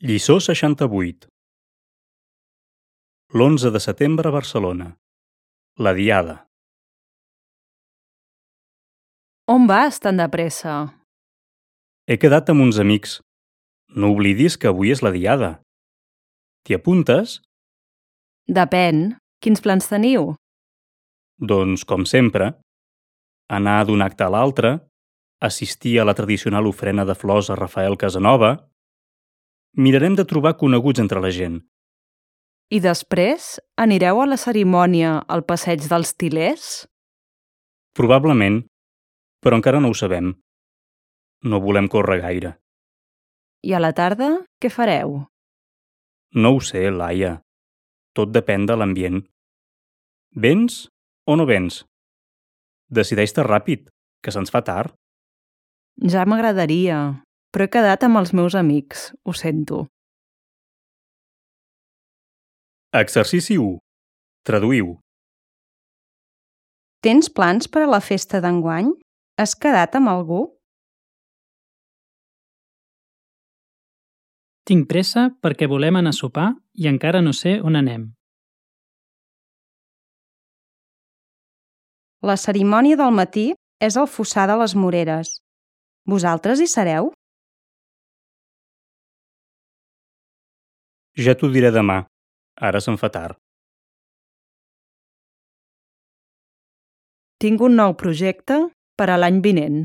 Lliçó 68. l'11 de setembre a Barcelona. La Diada. On vas tan de pressa? He quedat amb uns amics. No oblidis que avui és la Diada. T'hi apuntes? Depèn. Quins plans teniu? Doncs, com sempre, anar d'un acte a l'altre, assistir a la tradicional ofrena de flors a Rafael Casanova. Mirarem de trobar coneguts entre la gent. I després anireu a la cerimònia al passeig dels Til·lers? Probablement, però encara no ho sabem. No volem córrer gaire. I a la tarda, què fareu? No ho sé, Laia. Tot depèn de l'ambient. Vens o no vens? Decideix-te ràpid, que se'ns fa tard. Ja m'agradaria, però he quedat amb els meus amics, ho sento. Exercici 1. Traduïu. Tens plans per a la festa d'enguany? Has quedat amb algú? Tinc pressa perquè volem anar a sopar i encara no sé on anem. La cerimònia del matí és al Fossar de les Moreres. Vosaltres hi sereu? Ja t'ho diré demà. Ara se'm fa tard. Tinc un nou projecte per a l'any vinent.